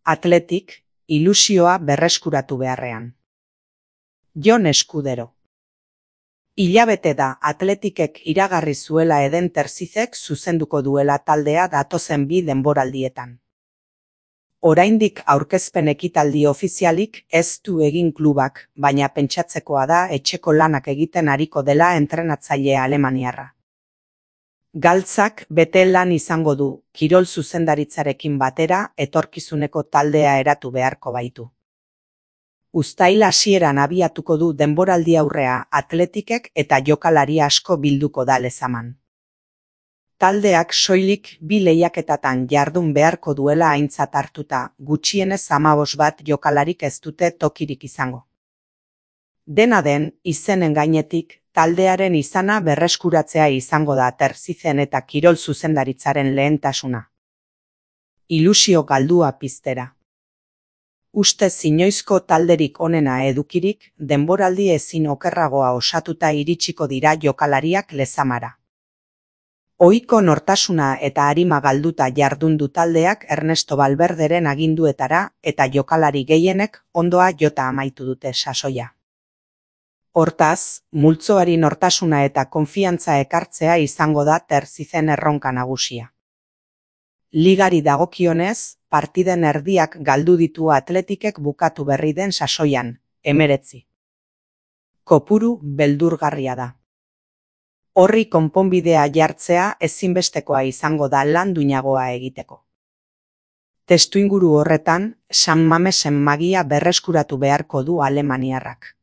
Athletic, ilusioa berreskuratu beharrean. Jon Eskudero. Hilabete da Athleticek iragarri zuela Eden Terzizek zuzenduko duela taldea datozen 2 denboraldietan. Oraindik aurkezpen ekitaldi ofizialik ez du egin klubak, baina pentsatzekoa da etxeko lanak egiten ariko dela entrenatzaile alemaniarra. Galtzak bete lan izango du, kirol zuzendaritzarekin batera etorkizuneko taldea eratu beharko baitu. Uztail hasieran abiatuko du denboraldi aurrea Athleticek eta jokalari asko bilduko da Lezaman. Taldeak soilik 2 lehiaketatan jardun beharko duela aintzat hartuta, gutxienez 15 bat jokalarik ez dute tokirik izango. Dena den, izenen gainetik, taldearen izana berreskuratzea izango da Terzizen eta kirol zuzendaritzaren lehentasuna. Ilusio galdua piztera. Ustez inoizko talderik onena edukirik, denboraldi ezin okerragoa osatuta iritsiko dira jokalariak Lezamara. Ohiko nortasuna eta arima galduta jardundu taldeak Ernesto Valverderen aginduetara eta jokalari gehienek ondoa jota amaitu dute sasoia. Hortaz, multzoari nortasuna eta konfiantza ekartzea izango da Terzizen erronka nagusia. Ligari dagokionez, partiden erdiak galdu ditu Athleticek bukatu berri den sasoian, 19. Kopuru beldurgarria da. Horri konponbidea jartzea ezinbestekoa izango da lan duinagoa egiteko. Testuinguru horretan, San Mamesen magia berreskuratu beharko du alemaniarrak.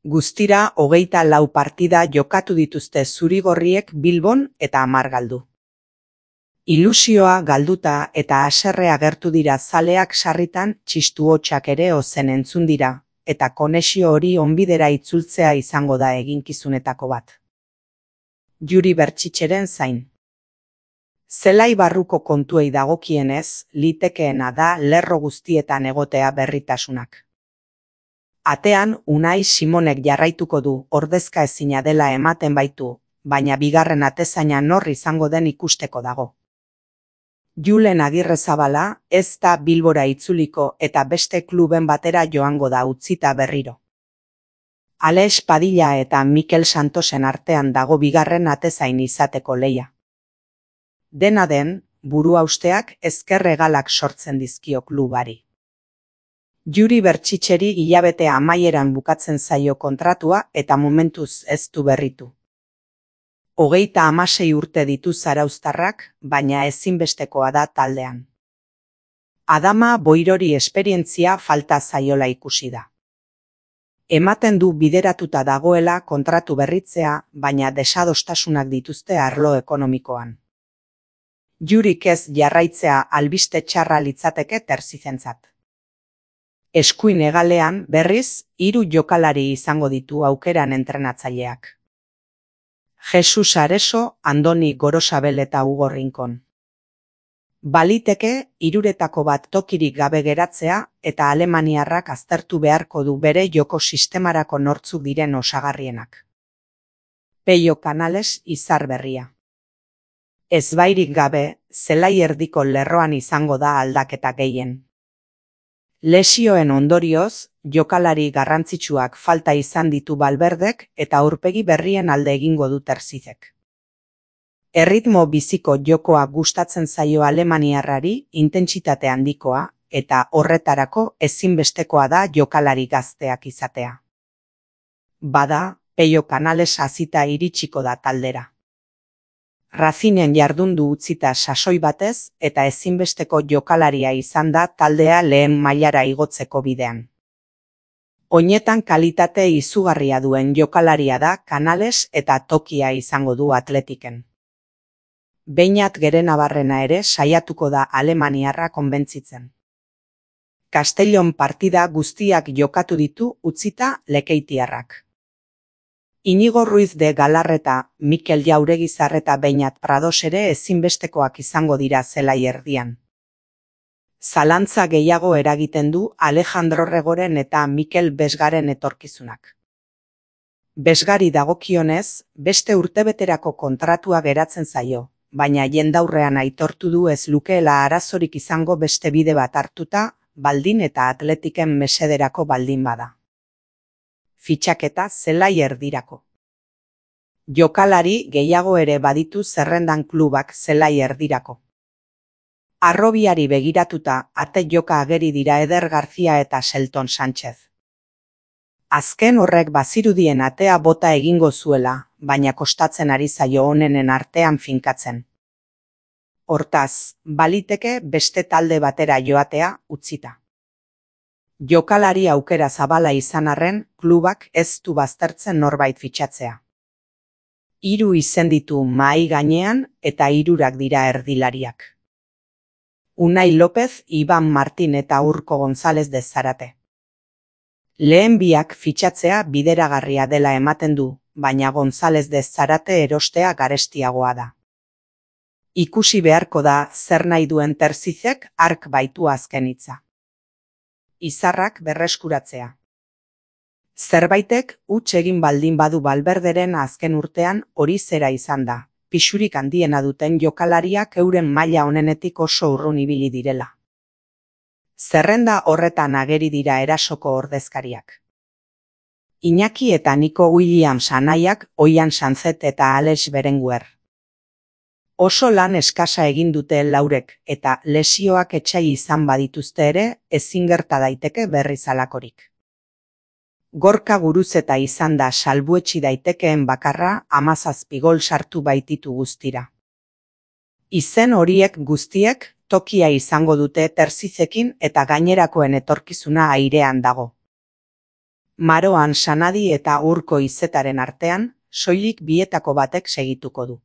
Guztira 24 partida jokatu dituzte zurigorriek Bilbon eta 10 galdu. Ilusioa galduta eta haserre agertu dira zaleak sarritan txistu hotsak ere ozen entzun dira, eta konexio hori onbidera itzultzea izango da eginkizunetako bat. Juri Bertxitxeren zain. Zelai barruko kontuei dagokienez, litekeena da lerro guztietan egotea berritasunak. Atean Unai Simonek jarraituko du, ordezka ezina dela ematen baitu, baina bigarren atezaina nor izango den ikusteko dago. Julen Agirrezabala ez da Bilbora itzuliko eta beste kluben batera joango da utzita berriro. Alex Padilla eta Mikel Santosen artean dago bigarren atezain izateko leia. Dena den, buruhausteak ezker hegalak sortzen dizkio klubari. Juri Bertxitxeri hilabete amaieran bukatzen zaio kontratua eta momentuz ez du berritu. 36 urte ditu zarauztarrak, baina ezinbestekoa da taldean. Adama Boirori esperientzia falta zaiola ikusi da. Ematen du bideratuta dagoela kontratu berritzea, baina desadostasunak dituzte arlo ekonomikoan. Jurik ez jarraitzea albiste txarra litzateke Terzizentzat. Eskuin hegalean, berriz, 3 jokalari izango ditu aukeran entrenatzaileak. Jesus Areso, Andoni Gorosabel eta Hugo Rincon. Baliteke, 3retako bat tokirik gabe geratzea eta alemaniarrak aztertu beharko du bere joko sistemarako nortzuk diren osagarrienak. Peio Canales izar berria. Ezbairik gabe, zelai erdiko lerroan izango da aldaketa gehien. Lesioen ondorioz, jokalari garrantzitsuak falta izan ditu Valverdek eta aurpegi berrien alde egingo du Terzizek. Erritmo biziko jokoa gustatzen zaio alemaniarrari intentsitate handikoa eta horretarako ezinbestekoa da jokalari gazteak izatea. Bada, Peio Canales hazita iritsiko da taldera. Racingen jardundu utzita sasoi batez eta ezinbesteko jokalaria izan da taldea lehen mailara igotzeko bidean. Oinetan kalitate izugarria duen jokalaria da Canales eta tokia izango du Athleticen. Beñat Gerenabarrena ere saiatuko da alemaniarra konbentzitzen. Castellon partida guztiak jokatu ditu utzita lekeitiarrak. Inigo Ruiz de Galarreta, Mikel Jauregizar eta Beñat Prados ere ezinbestekoak izango dira zelai erdian. Zalantza gehiago eragiten du Alejandro Regoren eta Mikel Besgaren etorkizunak. Besgari dagokionez, beste urtebeterako kontratua geratzen zaio, baina jendaurrean aitortu du ez lukeela arazorik izango beste bide bat hartuta, baldin eta Atletiken mesederako baldin bada. Fitxaketa zelai erdirako. Jokalari gehiago ere baditu zerrendan klubak zelai erdirako. Harrobiari begiratuta ate joka ageri dira Eder Garcia eta Shelton Sánchez. Azken horrek bazirudien atea bota egingo zuela, baina kostatzen ari zaio onenen artean finkatzen. Hortaz, baliteke beste talde batera joatea utzita. Jokalari aukera zabala izan arren, klubak ez du baztertzen norbait fitxatzea. 3 izen ditu mahai gainean eta 3 dira erdilariak. Unai López, Iban Martin eta Urko González de Zarate. Lehen biak fitxatzea bideragarria dela ematen du, baina González de Zarate erostea garestiagoa da. Ikusi beharko da zer nahi duen Terzizek hark baitu azken hitza. Izarrak berreskuratzea. Zerbaitek huts egin baldin badu Valverderen azken urtean hori zera izan da, pisurik handiena duten jokalariak euren maila onenetik oso urrun ibili direla. Zerrenda horretan ageri dira erasoko ordezkariak. Iñaki eta Nico Williams anaiak, Oian Sanzet eta Alex Berenguer. Oso lan eskasa egin dute laurek eta lesioak etsai izan badituzte ere ezin gerta daiteke berriz halakorik. Gorka Guruzeta izan da salbuetsi daitekeen bakarra 17 gol sartu baititu guztira. Izen horiek guztiek tokia izango dute Terzizekin eta gainerakoen etorkizuna airean dago. Maroan Sanadi eta Urko Izetaren artean, soilik bietako batek segituko du.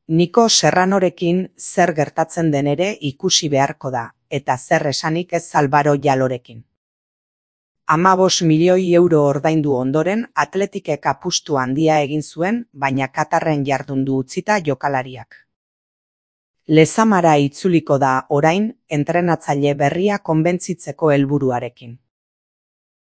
Niko Serranorekin zer gertatzen den ere ikusi beharko da, eta zer esanik ez Álvaro Jalorekin. 15 milioi euro ordaindu ondoren Atletikek apustu handia egin zuen, baina Katarren jardundu utzita jokalariak. Lezamara itzuliko da orain entrenatzaile berria konbentzitzeko helburuarekin.